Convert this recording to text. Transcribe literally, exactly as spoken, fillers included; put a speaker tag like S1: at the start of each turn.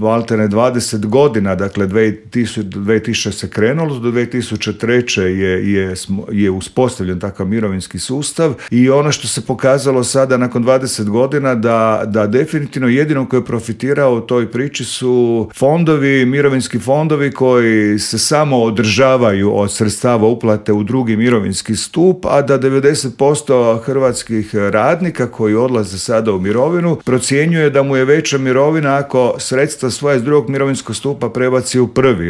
S1: maltene dvadeset godina, dakle dvije tisuće se krenulo, do dvije tisuće treće je, je, je uspostavljen takav mirovinski sustav i ono što se pokazalo sada nakon dvadeset godina da, da definitivno jedino koji je profitirao u toj priči su fondovi, mirovinski fondovi koji se samo održavaju od sredstava uplate u drugi mirovinski stup, a da devedeset posto hrvatskih radnika koji odlaze sada u mirovinu procjenjuje da mu je veća mirovina ako sredstva svoje iz drugog mirovinskog stupa prebaci u prvi.